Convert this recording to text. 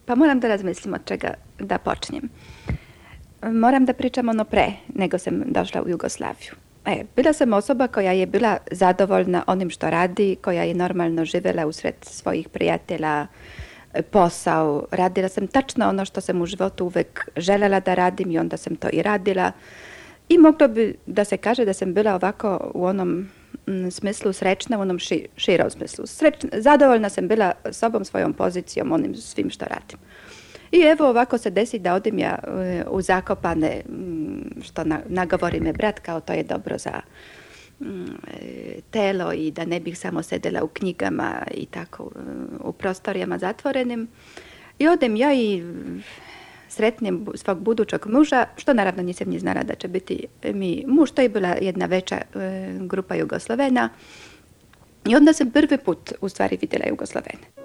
Pa moram da razmislim od čega da počnem. Moram da pričam ono pre nego sam došla u Jugoslaviju. Bila sam osoba koja je bila zadovoljna onim što radi, koja je normalno živela usred svojih prijatelja, posao. Radila sam tačno ono što sam u životu uvek želela da radim i onda sam to i radila. I moglo bi da se kaže da sam bila ovako u onom smislu srećna, u onom širom smislu. Zadovoljna sam bila sobom, svojom pozicijom, onim svim što radim. I evo ovako se desi da odim ja u Zakopane, što nagovori me brat, kao to je dobro za telo i da ne bih samo sedela u knjigama i tako u prostorijama zatvorenim. I odem ja i sretnem svog budućeg muža, što naravno nisam ni znala da će biti mi muž. To je bila jedna veća grupa Jugoslovena. I onda sam prvi put u stvari vidjela Jugoslovene.